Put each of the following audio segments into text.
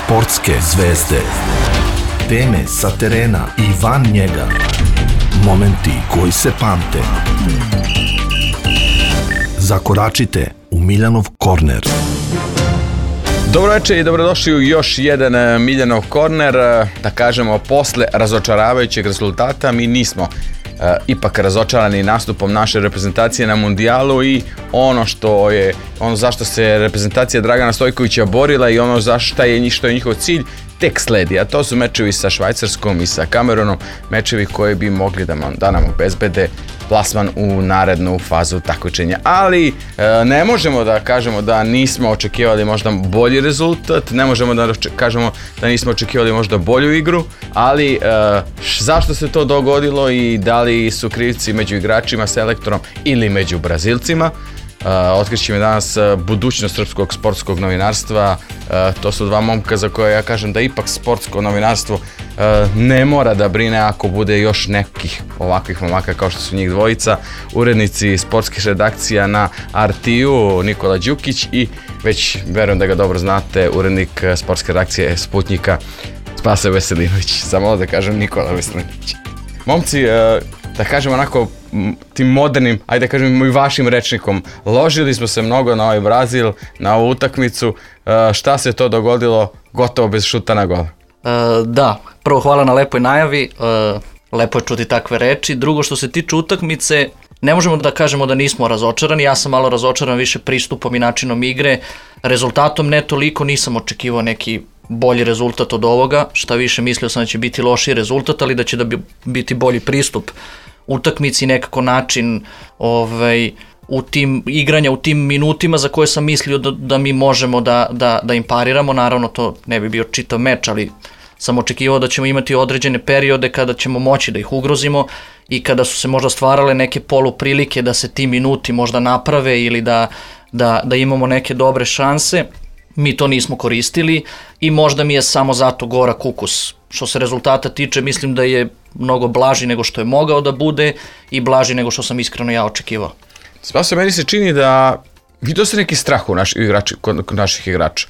Sportske zvezde. Teme sa terena i van njega. Momenti koji se pamte. Zakoračite u Miljanov korner. Dobro večer i dobrodošli u još jedan Miljanov korner. Da kažemo, posle razočaravajućeg rezultata mi nismo ipak razočarani nastupom naše reprezentacije na mundijalu i ono zašto se reprezentacija Dragana Stojkovića borila i ono što je njihov cilj tek sledi, a to su mečevi sa Švajcarskom i sa Kamerunom, mečevi koji bi mogli da nam obezbede plasman u narednu fazu takmičenja. Ali ne možemo da kažemo da nismo očekivali možda bolji rezultat, ne možemo da kažemo da nismo očekivali možda bolju igru, ali zašto se to dogodilo i da li su krivci među igračima, selektorom ili među Brazilcima? Otkrićemo danas budućnost srpskog sportskog novinarstva. To su dva momka za koje ja kažem da ipak sportsko novinarstvo ne mora da brine ako bude još nekih ovakvih momaka kao što su njih dvojica. Urednici sportskih redakcija na RTU Nikola Đukić i već verujem da ga dobro znate, urednik sportske redakcije Sputnjika Spase Veselinović. Samo da kažem Nikola Veselinović. Momci, da kažem onako tim modernim, ajde da kažem i vašim rečnikom, ložili smo se mnogo na ovaj Brazil, na ovu utakmicu. Šta se to dogodilo gotovo bez šuta na gol? Da, prvo hvala na lepoj najavi, lepo je čuti takve reči. Drugo, što se tiče utakmice, ne možemo da kažemo da nismo razočarani, ja sam malo razočaran više pristupom i načinom igre, rezultatom ne toliko, nisam očekivao neki bolji rezultat od ovoga, šta više mislio sam da će biti lošiji rezultat, ali da će biti bolji pristup utakmici, nekako način igranja u tim minutima za koje sam mislio da mi možemo da im pariramo. Naravno to ne bi bio čitav meč, ali sam očekivao da ćemo imati određene periode kada ćemo moći da ih ugrozimo i kada su se možda stvarale neke poluprilike da se ti minuti možda naprave ili da imamo neke dobre šanse. Mi to nismo koristili i možda mi je samo zato gorak ukus. Što se rezultata tiče, mislim da je mnogo blaži nego što je mogao da bude i blaži nego što sam iskreno ja očekivao. Spaso, meni se čini da vidio se neki strah kod naših igrača.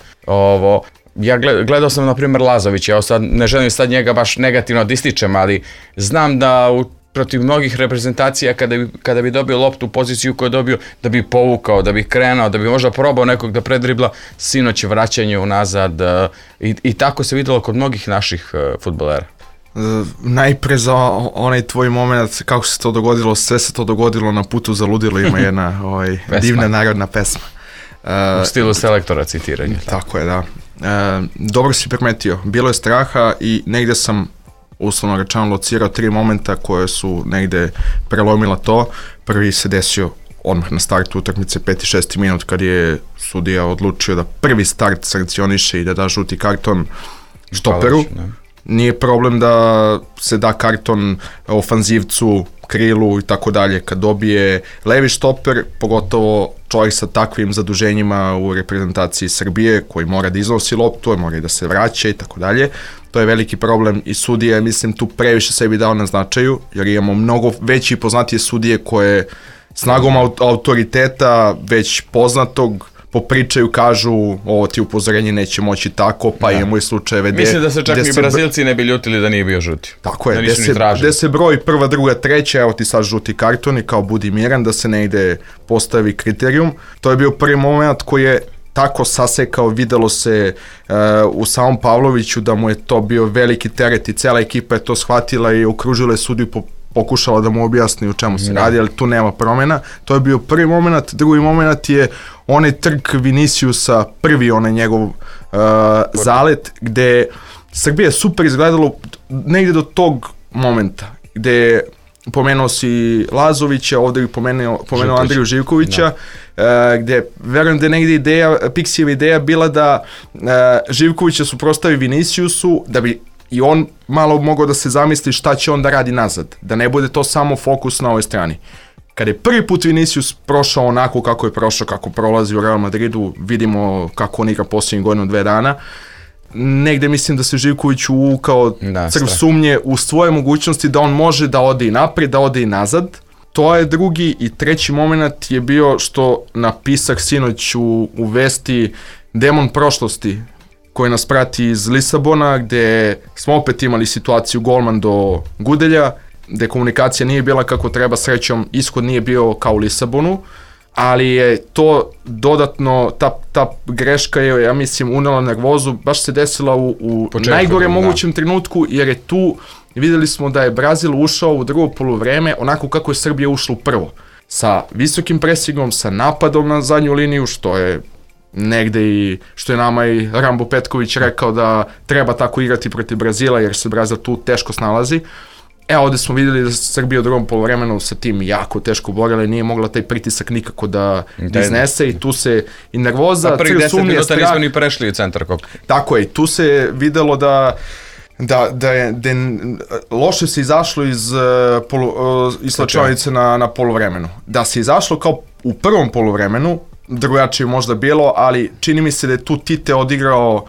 Ja gledao sam na primjer Lazovića, ja ne želim sad njega baš negativno da ističem, ali znam da protiv mnogih reprezentacija kada bi dobio loptu u poziciju koju je dobio, da bi povukao, da bi krenuo, da bi možda probao nekog da predribla, sinoć vraćanje unazad i tako se videlo kod mnogih naših fudbalera. Najpre za onaj tvoj moment kako se to dogodilo, sve se to dogodilo na putu za ludilo, ima jedna divna narodna pesma. U stilu selektora citiranja. Tako je, da. Dobro si primetio, bilo je straha i negde sam uslovno rečeno locirao 3 momenta koje su negde prelomila to. Prvi se desio odmah na startu utakmice 5. i 6. minut kad je sudija odlučio da prvi start sankcioniše i da da žuti karton štoperu. Nije problem da se da karton ofanzivcu, krilu i tako dalje. Kad dobije levi štoper, pogotovo čovjek sa takvim zaduženjima u reprezentaciji Srbije koji mora da iznosi loptu, mora i da se vraća i tako dalje, to je veliki problem i sudija je, mislim, tu previše sebi dao na značaju, jer imamo mnogo veći i poznatije sudije koje snagom autoriteta već poznatog popričaju, kažu ovo ti upozorenje neće moći tako, pa imamo i slučajeve mislim da se čak i Brazilci ne bi ljutili da nije bio žuti. Tako je, gde se broj prva, druga, treća, evo ti sad žuti karton i kao budi miran da se negde postavi kriterijum. To je bio prvi moment koji je tako sasekao, videlo se u samom Pavloviću da mu je to bio veliki teret i cela ekipa je to shvatila i okružila je sudiju, pokušala da mu objasni u čemu se radi, ali tu nema promjena. To je bio prvi moment. Drugi moment je onaj trk Viniciusa, prvi onaj njegov zalet, gde Srbija super izgledalo negde do tog momenta, gde pomenuo si Lazovića, ovdje bih pomenuo Andriju Živkovića, gde verujem da je negde Pixijeva ideja bila da Živkovića suprotstavi Viniciusu, da bi i on malo mogao da se zamisli šta će on da radi nazad, da ne bude to samo fokus na ovoj strani. Kada je prvi put Vinicius prošao onako kako je prošao, kako prolazi u Real Madridu, vidimo kako on igra posljednjih godinu 2 dana, negde mislim da se Živković uvukao crv sumnje u svoje mogućnosti da on može da ode i naprijed, da ode i nazad. To je drugi i treći moment je bio što napisak sinoć u vesti demon prošlosti koji nas prati iz Lisabona, gde smo opet imali situaciju golman do Gudelja, gde komunikacija nije bila kako treba, srećom ishod nije bio kao u Lisabonu, ali je to dodatno, ta greška je, ja mislim, unela nervozu, baš se desila u najgorem mogućem trenutku, jer je tu, videli smo da je Brazil ušao u drugo poluvreme onako kako je Srbija ušla u prvo. Sa visokim presingom, sa napadom na zadnju liniju, što je negde i što je nama i Rambo Petković rekao da treba tako igrati protiv Brazila, jer se Brazil tu teško snalazi. Ovde smo videli da se Srbija u drugom poluvremenu sa tim jako teško borila i nije mogla taj pritisak nikako da iznese i tu se i nervoza, prvih 10 minuta nismo ni prešli u centar koka. Tako je, tu se videlo da je loše se izašlo iz slačionice na poluvremenu. Da se izašlo kao u prvom poluvremenu, drugačije možda bilo, ali čini mi se da je tu Tite odigrao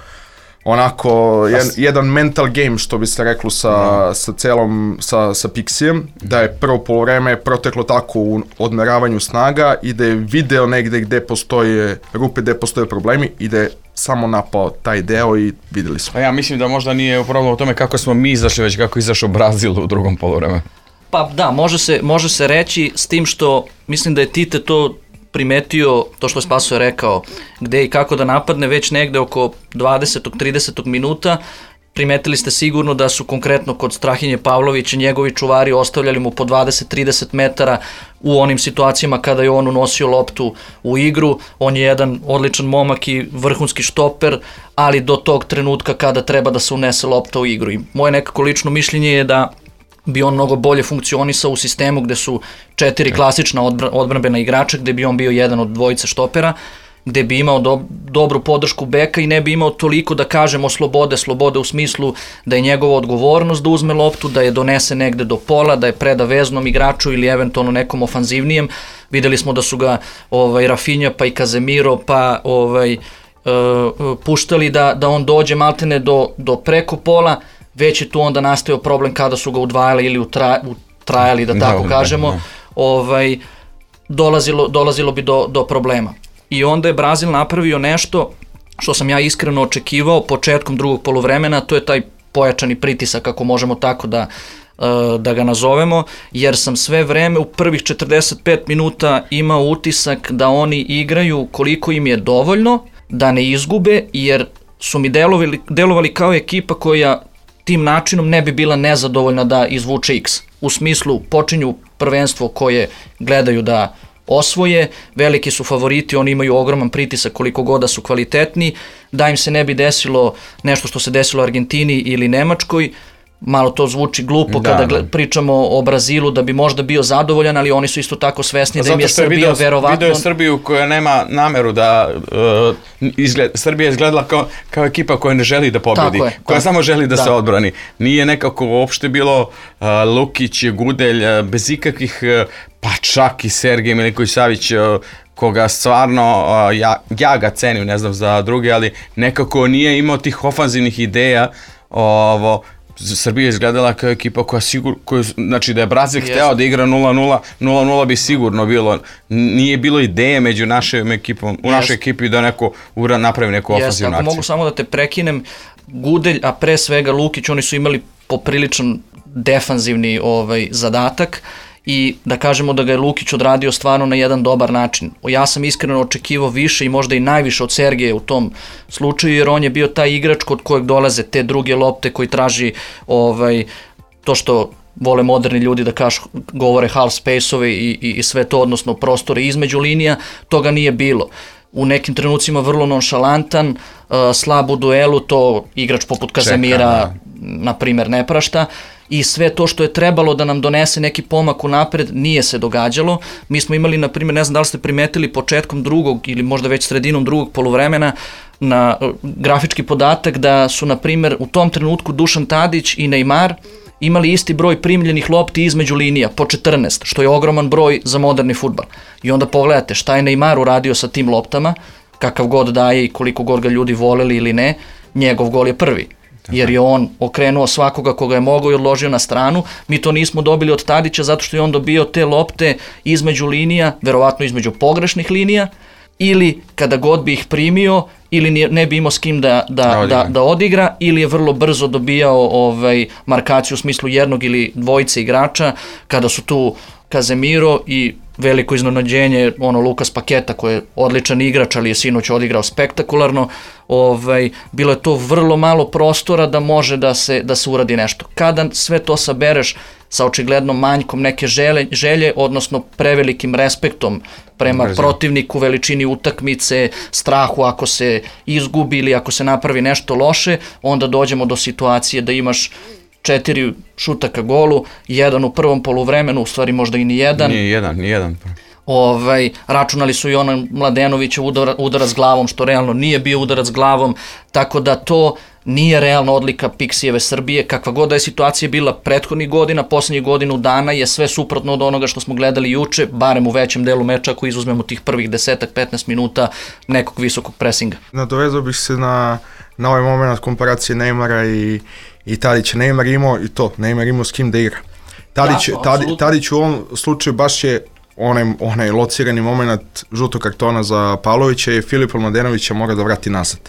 onako jedan mental game, što bi se reklo sa Pixijem, da je prvo poluvreme proteklo tako u odmeravanju snaga i da je video negde gde postoje rupe, gde postoje problemi i da je samo napao taj deo i videli smo. Pa ja mislim da možda nije problem u tome kako smo mi izašli, već kako je izašao Brazil u drugom poluvremenu. Pa da, može se reći, s tim što mislim da je Tite to primetio, to što je Spaso rekao, gde i kako da napadne već negde oko 20. 30. minuta. Primetili ste sigurno da su konkretno kod Strahinje Pavlovića njegovi čuvari ostavljali mu po 20-30 metara u onim situacijama kada je on unosio loptu u igru. On je jedan odličan momak i vrhunski štoper, ali do tog trenutka kada treba da se unese lopta u igru. I moje nekako lično mišljenje je da bi on mnogo bolje funkcionisao u sistemu gde su 4 klasična odbrambena igrača, gde bi on bio jedan od dvojice štopera, gde bi imao dobru podršku beka i ne bi imao toliko, da kažemo, slobode u smislu da je njegova odgovornost da uzme loptu, da je donese negde do pola, da je preda veznom igraču ili eventualno nekom ofanzivnijem. Videli smo da su ga Rafinha pa i Casemiro pa puštali da on dođe maltene do preko pola. Već je tu onda nastao problem kada su ga udvajali ili utrajali, da tako kažemo, dolazilo bi do problema. I onda je Brazil napravio nešto što sam ja iskreno očekivao početkom drugog poluvremena, to je taj pojačani pritisak, ako možemo tako da ga nazovemo, jer sam sve vreme u prvih 45 minuta imao utisak da oni igraju koliko im je dovoljno, da ne izgube, jer su mi delovali kao ekipa koja tim načinom ne bi bila nezadovoljna da izvuče X. U smislu počinju prvenstvo koje gledaju da osvoje, veliki su favoriti, oni imaju ogroman pritisak koliko god da su kvalitetni, da im se ne bi desilo nešto što se desilo Argentini ili Nemačkoj. Malo to zvuči glupo kada pričamo o Brazilu, da bi možda bio zadovoljan, ali oni su isto tako svesni da im je Srbija verovatno... Video je Srbiju koja nema nameru da... Srbija je izgledala kao ekipa koja ne želi da pobedi, koja samo želi da se odbrani. Nije nekako uopšte bilo Lukić, Gudelj, bez ikakvih, pa čak i Sergej Milinković-Savić, koga stvarno, ja ga cenim, ne znam za druge, ali nekako nije imao tih ofanzivnih ideja. Srbija je izgledala kao ekipa koja znači da je Brazil hteo da igra 0-0, 0-0 bi sigurno bilo. Nije bilo ideje među našom ekipom, u našoj ekipi da napravi neku ofanzivnu akciju. Ako mogu samo da te prekinem, Gudelj, a pre svega Lukić, oni su imali popriličan defanzivni zadatak i da kažemo da ga je Lukić odradio stvarno na jedan dobar način. Ja sam iskreno očekivao više i možda i najviše od Sergeja u tom slučaju, jer on je bio taj igrač kod kojeg dolaze te druge lopte koji traži to što vole moderni ljudi da govore half space-ove i sve to, odnosno prostore između linija, toga nije bilo. U nekim trenucima vrlo nonšalantan, slab u duelu, to igrač poput Casemira, na primjer, ne prašta. I sve to što je trebalo da nam donese neki pomak unapred nije se događalo. Mi smo imali, na primjer, ne znam da li ste primetili početkom drugog ili možda već sredinom drugog poluvremena na grafički podatak da su, na primjer, u tom trenutku Dušan Tadić i Neymar imali isti broj primljenih lopti između linija, po 14, što je ogroman broj za moderni fudbal. I onda pogledate šta je Neymar uradio sa tim loptama, kakav god daje i koliko god ga ljudi voleli ili ne, njegov gol je prvi. Jer je on okrenuo svakoga koga je mogao i odložio na stranu. Mi to nismo dobili od Tadića zato što je on dobio te lopte između linija, verovatno između pogrešnih linija, ili kada god bi ih primio, ili ne bi imao s kim da odigra, ili je vrlo brzo dobijao markaciju u smislu jednog ili dvojice igrača, kada su tu Casemiro i veliko iznenađenje, Lukas Paketa koji je odličan igrač, ali je sinoć odigrao spektakularno, bilo je to vrlo malo prostora da može da se uradi nešto. Kada sve to sabereš sa očiglednom manjkom neke želje, odnosno prevelikim respektom prema protivniku, veličini utakmice, strahu ako se izgubi ili ako se napravi nešto loše, onda dođemo do situacije da imaš 4 šuta ka golu, 1 u prvom poluvremenu, u stvari možda i ni jedan. Nije jedan. Računali su i Mladenovića udarac glavom, što realno nije bio udarac glavom, tako da to nije realna odlika Pixijeve Srbije. Kakva god da je situacija bila prethodnih godina, poslednjih godinu dana je sve suprotno od onoga što smo gledali juče, barem u većem delu meča, ako izuzmemo tih prvih 10-15 minuta nekog visokog presinga. Nadovezao bih se na ovaj moment komparacije Neymara i Tadića. Neymar imao s kim da igra. Tadić u ovom slučaju baš je onaj locirani moment žutog kartona za Pavlovića i Filipa Mladenovića mora da vrati nazad.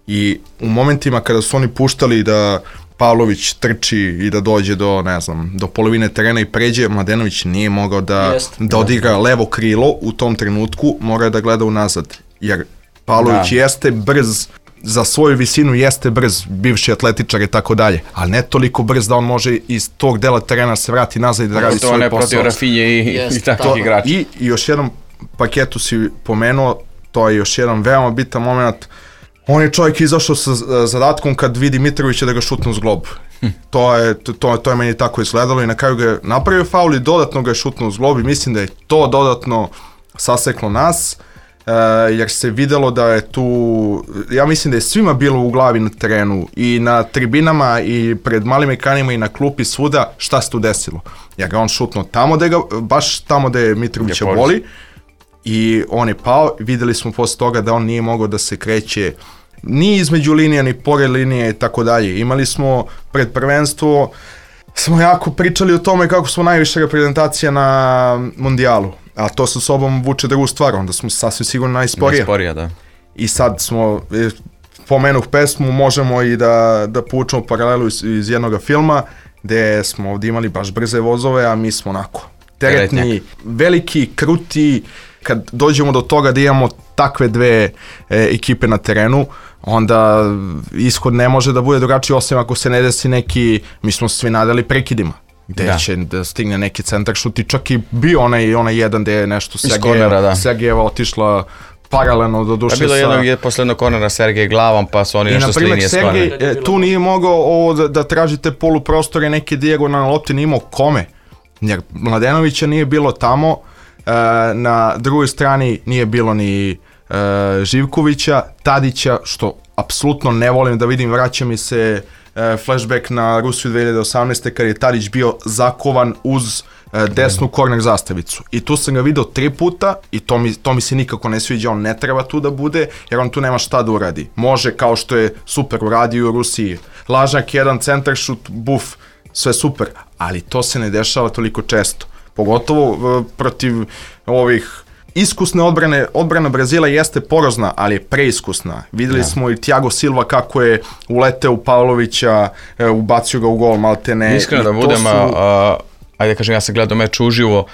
I u momentima kada su oni puštali da Pavlović trči i da dođe do polovine terena i pređe, Mladenović nije mogao da odigra levo krilo u tom trenutku, mora da gleda unazad. Jer Pavlović jeste brz, za svoju visinu jeste brz, bivši atletičar i tako dalje, ali ne toliko brz da on može iz tog dela terena se vrati nazad i da radi svoj posao. To ne protiv Rafinje i takvih igrača. I još jedan Paketu si pomenuo, to je još jedan veoma bitan moment. On je čovjek izašao sa zadatkom kad vidi Mitrovića da ga šutne uz glob. To je meni tako izgledalo i na kraju ga je napravio faul i dodatno ga je šutnuo uz glob i mislim da je to dodatno saseklo nas, jer se videlo da je tu, ja mislim da je svima bilo u glavi na terenu i na tribinama i pred malim ekranima i na klupi svuda šta se tu desilo. Jer ga on šutnuo baš tamo gde je Mitrovića boli i on je pao. Videli smo posle toga da on nije mogao da se kreće ni između linija, ni pored linije i tako dalje. Imali smo pred prvenstvo, smo jako pričali o tome kako smo najviše reprezentacija na mundijalu, a to sa sobom vuče drugu stvar, onda smo sasvim sigurno najsporija. Da. I sad smo, pomenuh pesmu, možemo i da povučemo paralelu iz jednog filma, gde smo ovdje imali baš brze vozove, a mi smo onako teretni, veliki, kruti. Kad dođemo do toga da imamo takve dve ekipe na terenu, onda ishod ne može da bude drugačiji, osim ako se ne desi neki, mi smo svi nadali prekidima, gde će da stigne neki centar šut i čak i bio onaj jedan gde je nešto Sergejeva otišla paralelno do duše. Bilo jednog je poslednog kornera Sergej glavom, pa su oni nešto s linije sklonili. I na primjer Sergej tu nije mogao da tražite poluprostore, neke dijagonalne lopte, nije imao kome, jer Mladenovića nije bilo tamo, na drugoj strani nije bilo ni Živkovića, Tadića, što apsolutno ne volim da vidim, vraća mi se flashback na Rusiju 2018. kad je Tadić bio zakovan uz desnu korner zastavicu. I tu sam ga video 3 puta i to mi se nikako ne sviđa, on ne treba tu da bude, jer on tu nema šta da uradi. Može, kao što je super uradio u Rusiji, lažnjak, jedan centar šut, buf, sve super, ali to se ne dešava toliko često. Pogotovo protiv ovih iskusne odbrane. Odbrana Brazila jeste porozna, ali je preiskusna. Videli smo i Thiago Silva kako je uleteo u Pavlovića, ubacio ga u gol, maltene. Iskreno da budem, ajde kažem, ja sam gledao meč uživo,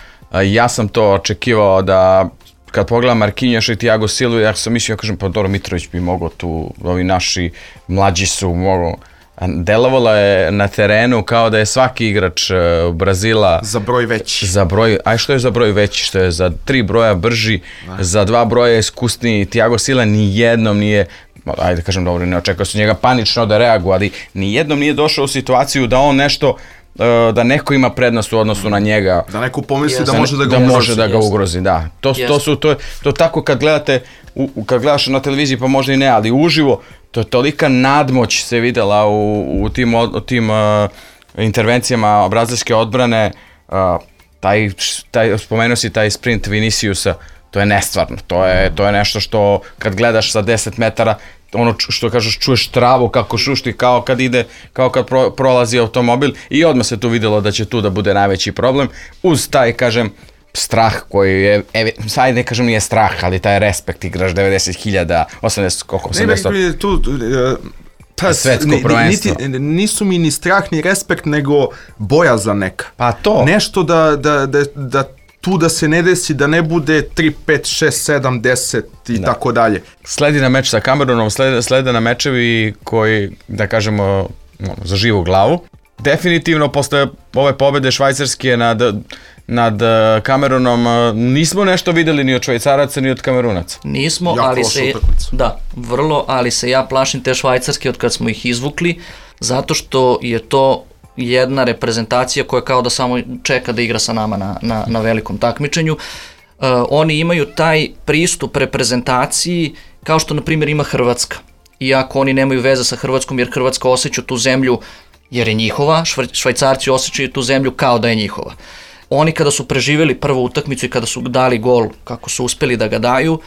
ja sam to očekivao da kad pogledam Marquinhos i Thiago Silva, ja sam mislio, ja kažem, pa dobro, Mitrović bi mogao tu, ovi naši mlađi su mogao. Delovalo je na terenu kao da je svaki igrač Brazila za broj veći. Aj što je za broj veći, što je za 3 broja brži, za 2 broja iskusniji. Thiago Silva nijednom nije, ajde kažem dobro, ne očekao su njega panično da reaguje, ali nijednom nije došao u situaciju da on nešto, da neko ima prednost u odnosu na njega. Da neko pomisli da može da ga ugrozi. Da. To tako kad gledate, kad gledaš na televiziji pa možda i ne, ali uživo, to je tolika nadmoć se videla u tim intervencijama brazilske odbrane, spomenuo si taj sprint Viniciusa, to je nestvarno, to je nešto što kad gledaš sa 10 metara, ono što kažeš, čuješ travu kako šušti, kao kad prolazi automobil i odmah se tu vidjelo da će tu da bude najveći problem, uz taj, kažem, strah koji je, sad ne kažem nije strah, ali taj respekt, igraš 90.000, 80, koliko, 80... Ne, tu... Svetsko prvenstvo. Nisu mi ni strah ni respekt, nego bojazan neka. Pa to. Nešto da tu da se ne desi, da ne bude 3, 5, 6, 7, 10 i tako dalje. Sledi na meč sa Kamerunom, slede na mečevi koji, da kažemo, za živu glavu. Definitivno, posle ove pobede Švajcarske nad Kamerunom, nismo nešto videli ni od Švajcaraca, ni od Kamerunaca. Nismo, ali se... Da, vrlo, ali se ja plašim te Švajcarske od kad smo ih izvukli, zato što je to jedna reprezentacija koja kao da samo čeka da igra sa nama na velikom takmičenju. Oni imaju taj pristup reprezentaciji kao što, na primjer, ima Hrvatska. Iako oni nemaju veze sa Hrvatskom, jer Hrvatska osjeća tu zemlju jer je njihova, Švajcarci osjećaju tu zemlju kao da je njihova. Oni kada su preživjeli prvu utakmicu i kada su dali gol, kako su uspjeli da ga daju,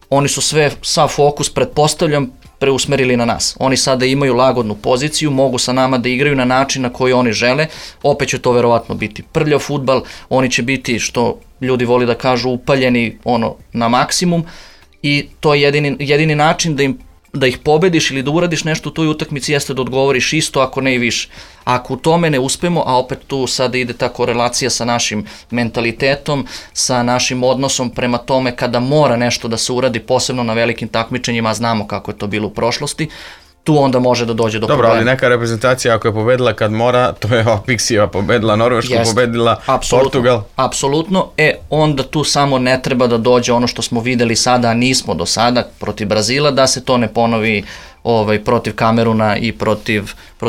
oni su sav fokus, pretpostavljam, preusmerili na nas. Oni sada imaju lagodnu poziciju, mogu sa nama da igraju na način na koji oni žele, opet će to verovatno biti prljav fudbal, oni će biti, što ljudi voli da kažu, upaljeni na maksimum i to je jedini način da ih pobediš ili da uradiš nešto u toj utakmici jeste da odgovoriš isto, ako ne i više. Ako u tome ne uspemo, a opet tu sada ide ta korelacija sa našim mentalitetom, sa našim odnosom prema tome kada mora nešto da se uradi, posebno na velikim takmičenjima, a znamo kako je to bilo u prošlosti, tu onda može da dođe do problema. Dobro, ali neka reprezentacija ako je pobedila kad mora, to je ova Pixijeva pobedila Norvešku, pobedila Portugal. Apsolutno, onda tu samo ne treba da dođe ono što smo videli sada, a nismo do sada, protiv Brazila, da se to ne ponovi protiv Kameruna i protiv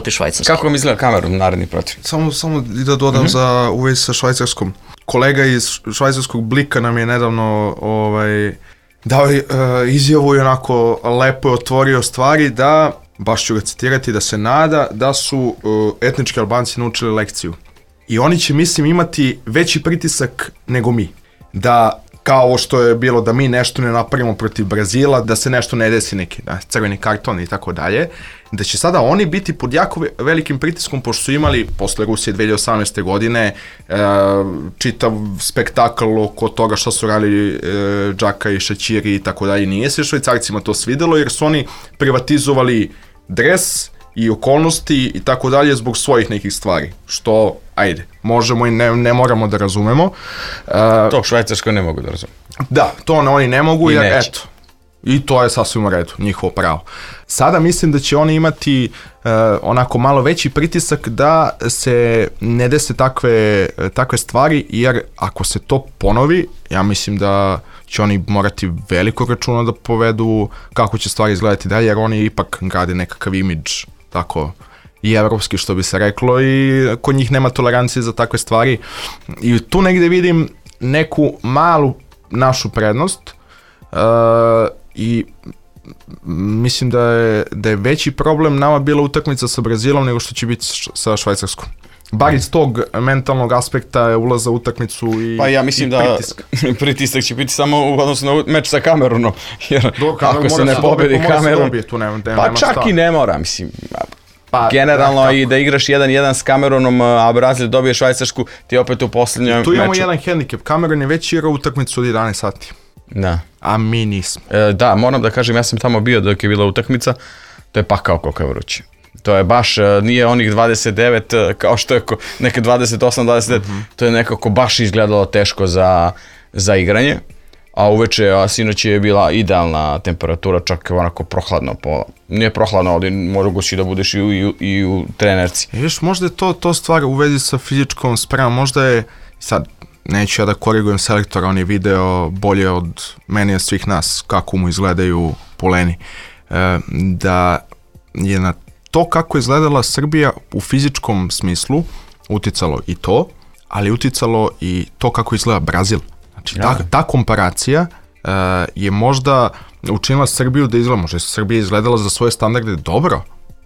Švajcarske. Kako vam izgleda Kamerun naredni protiv? Samo da dodam u vezi sa Švajcarskom. Kolega iz švajcarskog Blika nam je nedavno dao izjavu i onako lepo je otvorio stvari da, baš ću ga citirati, da se nada da su etnički Albanci naučili lekciju. I oni će, mislim, imati veći pritisak nego mi. Da, kao ovo što je bilo, da mi nešto ne napravimo protiv Brazila, da se nešto ne desi, neki crveni karton i tako dalje, da će sada oni biti pod jako velikim pritiskom, pošto su imali posle Rusije 2018. godine čitav spektakl oko toga što su radili Džaka i Šaćiri i tako dalje. Nije se Švajcarcima to svidelo jer su oni privatizovali dres i okolnosti i tako dalje zbog svojih nekih stvari, što, ajde, možemo i ne moramo da razumemo. To Švajcarsko ne mogu da razumemo. Da, to oni ne mogu, jer eto, i to je sasvim u redu, njihovo pravo. Sada mislim da će oni imati onako malo veći pritisak da se ne dese takve stvari, jer ako se to ponovi, ja mislim da će oni morati veliko računa da povedu kako će stvari izgledati dalje, jer oni ipak grade nekakav imidž, tako i evropski, što bi se reklo, i kod njih nema tolerancije za takve stvari. I tu negde vidim neku malu našu prednost i mislim da je veći problem nama bila utakmica sa Brazilom nego što će biti sa Švajcarskom. Bar iz tog mentalnog aspekta ulaza u utakmicu i pa ja mislim da pritisak će biti samo u odnosu na meč sa Kamerunom, jer ako se ne pobedi Kamerun, pa čak i ne mora, mislim, generalno i da igraš 1-1 s Kamerunom, a Brazil dobije Švajcarsku, ti opet u posljednjem meču. Tu imamo jedan hendikep, Kamerun je već igrao utakmicu od 11 sati. Da. A mi nismo. Da, moram da kažem, ja sam tamo bio dok je bila utakmica, to je pakao koliko je vruće. To je baš, nije onih 29 kao što je neke 28-29, to je nekako baš izgledalo teško za igranje, a uveče, sinoć je bila idealna temperatura, čak onako prohladno, nije prohladno, ali moguće da budeš i u trenerci. Viš, možda je to stvar u vezi sa fizičkom spremom, možda je, sad, neću ja da korigujem selektora, on je video bolje od meni i svih nas kako mu izgledaju poleni, da je na to kako je izgledala Srbija u fizičkom smislu uticalo i to, ali uticalo i to kako izgleda Brazil. Znači, ta komparacija je možda učinila Srbiju da izgleda, možda je Srbija izgledala za svoje standarde dobro,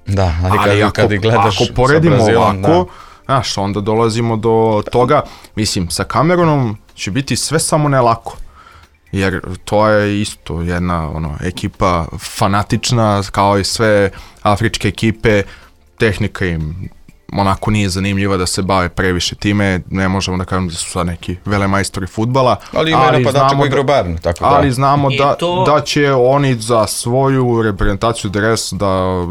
da, ali kad gledaš ako poredimo Brazilom, ovako, znaš, onda dolazimo do toga, mislim, sa Kamerunom će biti sve samo ne lako. Jer to je isto jedna ekipa fanatična, kao i sve afričke ekipe, tehnika im onako nije zanimljiva da se bave previše time, ne možemo da kažem da su sad neki velemajstori fudbala. Ali ima napadača koji igra u Bayernu, tako da. Ali znamo da će oni za svoju reprezentaciju dres da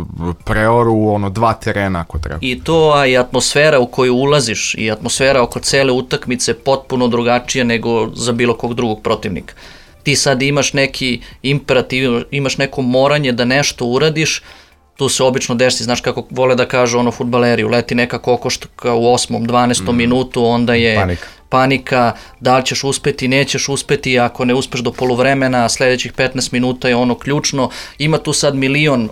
preoru 2 terena ako treba. I to, a i atmosfera u koju ulaziš i atmosfera oko cele utakmice potpuno drugačija nego za bilo kog drugog protivnika. Ti sad imaš neki imperativ, imaš neko moranje da nešto uradiš, tu se obično desi, znaš kako vole da kažu fudbaleri, uleti neka kokoška u 8. 12. minutu, onda je panika, da li ćeš uspeti, nećeš uspeti, ako ne uspeš do poluvremena, sledećih 15 minuta je ključno, ima tu sad milion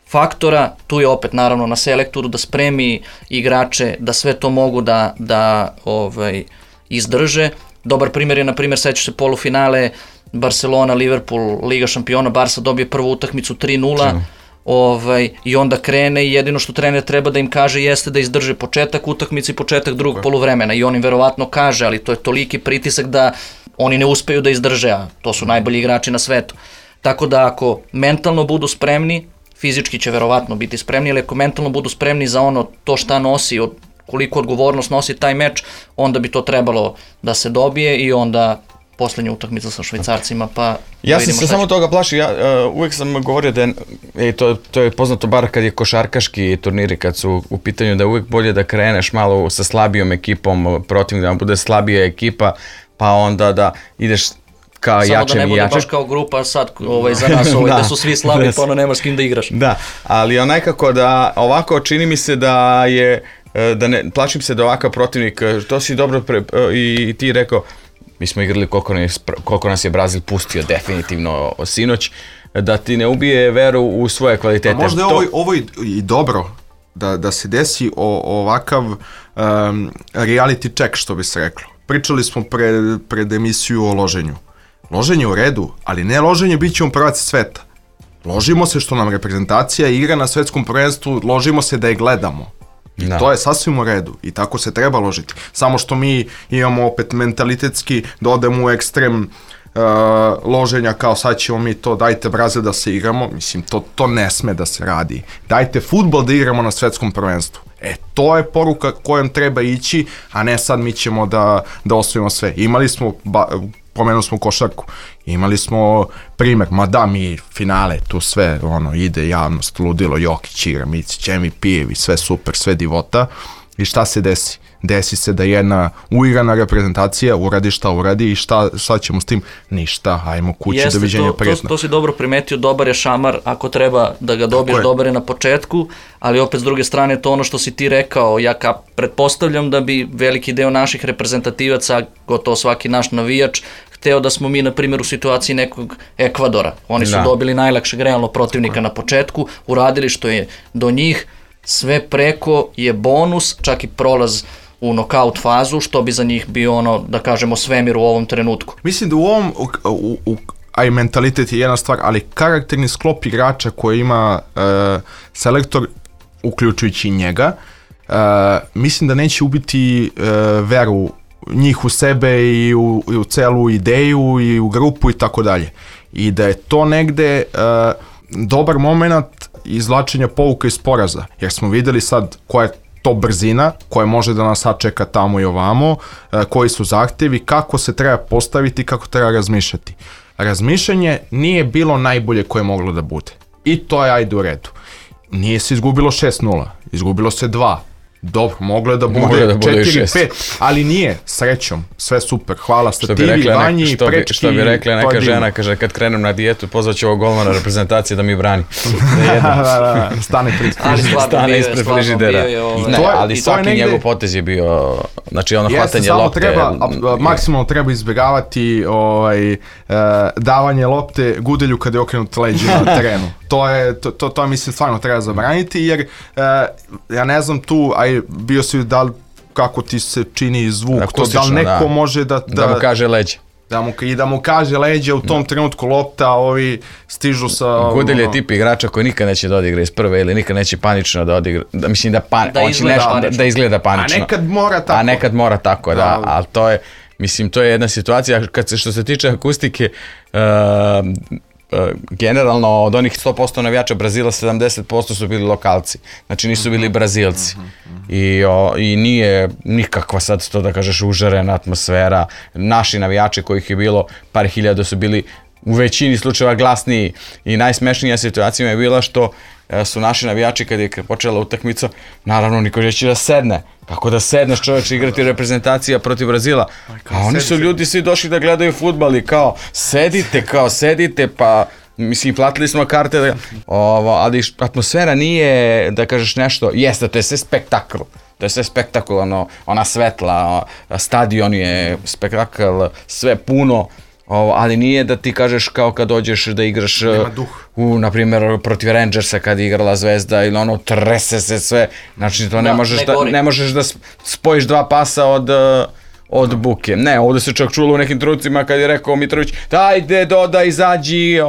faktora, tu je opet naravno na selektoru da spremi igrače, da sve to mogu da izdrže. Dobar primjer je, na primjer, sećaš se polufinale Barcelona, Liverpool, Liga šampiona, Barca dobije prvu utakmicu 3-0, i onda krene i jedino što trener treba da im kaže jeste da izdrže početak utakmice i početak drugog poluvremena i on im verovatno kaže, ali to je toliki pritisak da oni ne uspeju da izdrže, a to su najbolji igrači na svetu. Tako da ako mentalno budu spremni, fizički će verovatno biti spremni, ali ako mentalno budu spremni za to šta nosi, koliko odgovornost nosi taj meč, onda bi to trebalo da se dobije i onda poslednja utakmica sa Švajcarcima, pa ja sam se samo toga plašio, uvijek sam govorio da to je poznato bar kad je košarkaški turniri, kad su u pitanju da je uvijek bolje da kreneš malo sa slabijom ekipom, protiv da bude slabija ekipa, pa onda da ideš ka jačem i jačem. Samo da ne bude baš kao grupa sad za nas, da su svi slabi, pa nemaš s kim da igraš. Da, ali nekako da ovako čini mi se da je, plašim se da ovakav protivnik, to si dobro i ti rekao, mi smo igrali koliko nas je Brazil pustio definitivno sinoć, da ti ne ubije veru u svoje kvalitete. A možda je ovo i dobro da se desi ovakav reality check, što bi se reklo. Pričali smo pred emisiju o loženju. Loženje u redu, ali ne loženje bit ćemo prvaci sveta. Ložimo se što nam reprezentacija igra na svetskom prvenstvu, ložimo se da je gledamo. I to je sasvim u redu i tako se treba ložiti. Samo što mi imamo opet mentalitetski da odemo u ekstrem loženja kao sad ćemo mi to, dajte Brazil da se igramo, mislim to ne sme da se radi. Dajte fudbal da igramo na svetskom prvenstvu. To je poruka kojom treba ići, a ne sad mi ćemo da osvojimo sve. Imali smo, pomenuli smo košarku, imali smo primer, mi finale, tu sve ide javnost, ludilo, Jokić igra, Mici, Čemi, Pijevi, sve super, sve divota i šta se desi? Desi se da jedna uigrana reprezentacija uradi šta uradi i šta ćemo s tim? Ništa, ajmo kući, doviđenja, prijetno. To si dobro primetio, dobar je šamar, ako treba da ga dobiješ, dobar je na početku, ali opet s druge strane to što si ti rekao, ja pretpostavljam da bi veliki deo naših reprezentativaca, gotovo svaki naš navijač, hteo da smo mi, na primjer, u situaciji nekog Ekvadora. Oni su dobili najlakšeg realno protivnika na početku, uradili što je do njih, sve preko je bonus, čak i prolaz u nokaut fazu, što bi za njih bio da kažemo, svemir u ovom trenutku. Mislim da u ovom, a i mentalitet je jedna stvar, ali karakterni sklop igrača koji ima selektor, uključujući njega, mislim da neće ubiti veru njih u sebe i u celu ideju i u grupu i tako dalje. I da je to negde dobar moment izvlačenja pouka iz poraza, jer smo videli sad koja je to brzina, koja može da nas sačeka tamo i ovamo, koji su zahtevi, kako se treba postaviti, kako treba razmišljati. Razmišljanje nije bilo najbolje koje je moglo da bude. I to je ajde u redu. Nije se izgubilo 6-0, izgubilo se 2. Dobro, moglo je da bude 4-5, ali nije, srećom, sve super, hvala stativi, Vanji i Prečki. Što bi rekla neka žena, kaže kad krenem na dijetu, pozvaću ovog golmana reprezentacije da mi brani. Stane ispred frižidera. Ali svaki njegov potez je bio, znači hvatanje lopte. Maksimalno treba izbjegavati davanje lopte Gudelju kada je okrenut leđe na terenu. To mislim stvarno treba zabraniti, jer ja ne znam tu, bio si kako ti se čini zvuk, to da li neko može da mu kaže leđe. Da mu kaže leđe, u tom trenutku lopta, ovi stižu sa... Gudelj je tip igrača koji nikad neće da odigra iz prve ili nikad neće panično da odigra, mislim da izgleda panično. A nekad mora tako. Da, ali to je, mislim, to je jedna situacija, što se tiče akustike, generalno od onih 100% navijača Brazila 70% su bili lokalci, znači nisu bili Brazilci. I nije nikakva sad to da kažeš užarena atmosfera. Naši navijači kojih je bilo par hiljada su bili u većini slučajeva glasniji i najsmešnija situacija je bila što su naši navijači kad je počela utakmica, naravno niko neće da sedne. Kako da sedneš čovječe igrati reprezentacija protiv Brazila? A oni su ljudi svi došli da gledaju fudbal i kao sedite, pa mislim platili smo karte, ali atmosfera nije da kažeš nešto, jeste to je sve spektakl. To je sve spektakularno, ona svetla, stadion je spektakl, sve puno, ali nije da ti kažeš kao kad dođeš da igraš na primjer protiv Rangersa kad je igrala Zvezda ili ono trese se sve, znači to ne možeš da spojiš dva pasa od buke. Ne, ovdje se čak čulo u nekim trenucima kad je rekao Mitrović dajde dodaj, izađi,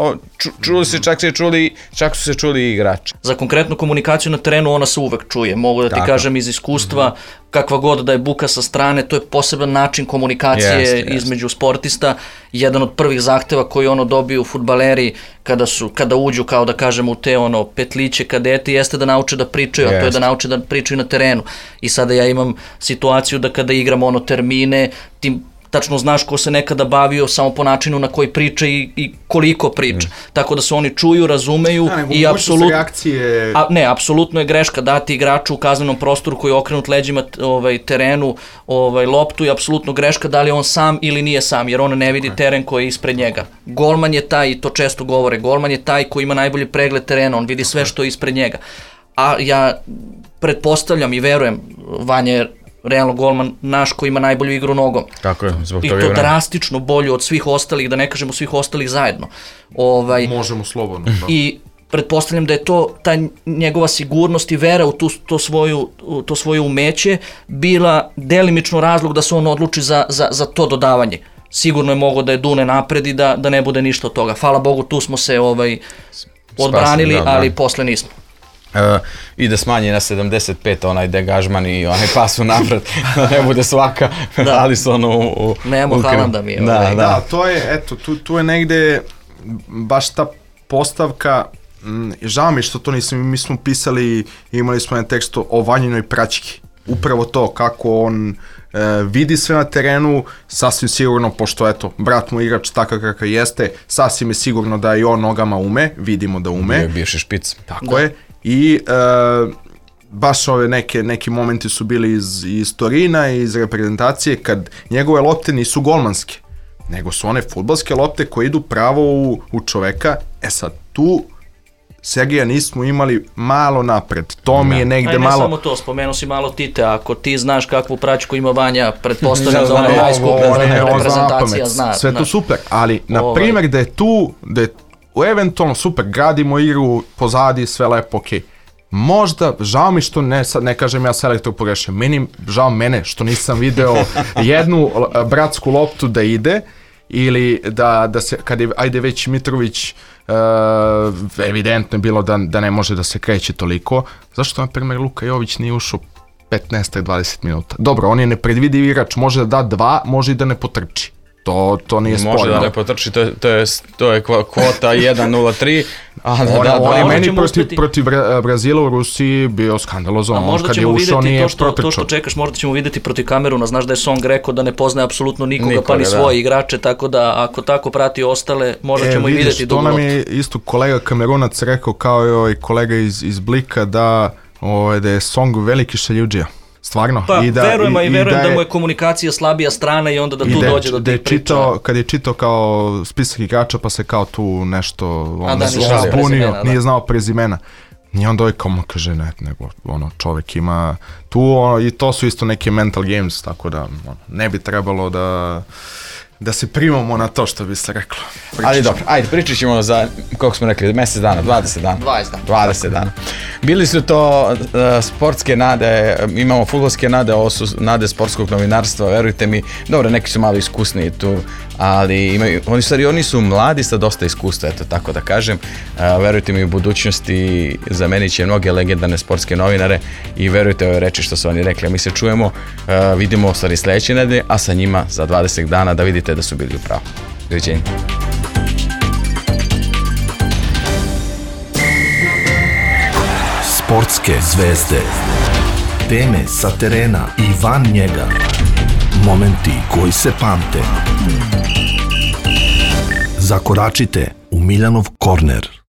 čak su se čuli i igrači. Za konkretnu komunikaciju na terenu ona se uvek čuje, mogu da ti kažem iz iskustva, kakva god da je buka sa strane, to je poseban način komunikacije između sportista. Jedan od prvih zahteva koji dobiju fudbaleri kada uđu kao da kažem u te petliće kadeti jeste da nauče da pričaju, a to je da nauče da pričaju na terenu. I sada ja imam situaciju da kada igram termine, ti tačno znaš ko se nekada bavio samo po načinu na koji priča i koliko priča. Tako da se oni čuju, razumeju i apsolutno je greška dati igraču u kaznenom prostoru koji je okrenut leđima terenu loptu i apsolutno greška da li on sam ili nije sam, jer on ne vidi teren koji je ispred njega. Golman je taj, i to često govore, golman je taj koji ima najbolji pregled terena, on vidi sve što je ispred njega. A ja pretpostavljam i verujem, Vanja je realno golman naš koji ima najbolju igru nogom. Tako je, zbog toga i to drastično bolju od svih ostalih, da ne kažemo svih ostalih zajedno. Možemo slobodno. I pretpostavljam da je to ta njegova sigurnost i vera u to svoje umeće bila delimično razlog da se on odluči za to dodavanje. Sigurno je mogao da je dune napred i da ne bude ništa od toga. Hvala Bogu, tu smo se odbranili, ali posle nismo. I da smanji na 75 onaj degažman i onaj pas u napred, da ne bude svaka, ali su u... Nemo Haalanda mi je. Da, to je, eto, tu je negde baš ta postavka, žao mi što to nisam, mi smo pisali, imali smo jedan tekst o Vanjinoj praćki, upravo to, kako on vidi sve na terenu, sasvim sigurno, pošto eto, brat mu igrač takav kakav jeste, sasvim je sigurno da i on nogama ume, vidimo da ume. Bio bivši špic. Tako je. I baš ove neki momenti su bili iz Torina, iz reprezentacije, kad njegove lopte nisu golmanske, nego su one fudbalske lopte koje idu pravo u čoveka. E sad, tu Sergija nismo imali malo napred, to mi je negde malo... Ne samo to, spomenuo si malo Tite, ako ti znaš kakvu praćku ima Vanja, pretpostavljam da ona najskuplja reprezentacija zna. Sve to super, ali na primjer da je tu, da je eventualno super, gradimo igru pozadi, sve lepo, okej. Možda, žao mi što ne kažem ja selektor pogrešio, žao mene što nisam video jednu bratsku loptu da ide, ili da se, kad je, ajde već Mitrović, evidentno je bilo da ne može da se kreće toliko, zašto na primjer Luka Jović nije ušao 15-20 minuta? Dobro, on je nepredvidiv igrač, može da da 2, može i da ne potrči. To nije sporno. Može da ne potrči, to je kvota 1-0-3. On je meni protiv Brazila u Rusiji bio skandalozan. On kad je ušao nije protrčao. To što čekaš, možda ćemo vidjeti protiv Kameruna. Znaš da je Song rekao da ne poznaje apsolutno nikoga, pa ni svoje igrače, tako da ako tako prati ostale, možda ćemo i vidjeti dugo. To nam je isto kolega Kamerunac rekao, kao i kolega iz Blika, da je Song veliki šaljudžija. Stvarno. Pa verujem da mu je komunikacija slabija strana i onda da tu dođe do tih priča. Kad je čitao kao spisak igrača pa se kao tu nešto zbunio, nije znao prezimena. I onda kao kaže nego čovjek ima tu i to su isto neke mental games, tako da ne bi trebalo da se primamo na to što bi se reklo. Ali dobro, ajde, pričat ćemo za, koliko smo rekli, mjesec dana, 20 dana. 20 dana. Bili su to sportske nade, imamo fudbalske nade, ovo su nade sportskog novinarstva, verujte mi, dobro, neki su malo iskusniji tu, ali oni su mladi sa dosta iskustva, eto tako da kažem, verujte mi u budućnosti zamenit će mnoge legendarne sportske novinare i verujte ove reči što su oni rekli, mi se čujemo, vidimo stvari sljedeće nedelje, a sa njima za 20 dana da vidite da su bili u pravu. Doviđenja. Sportske zvezde. Teme sa terena i van njega. Momenti koji se pamte. Zakoračite u Miljanov korner.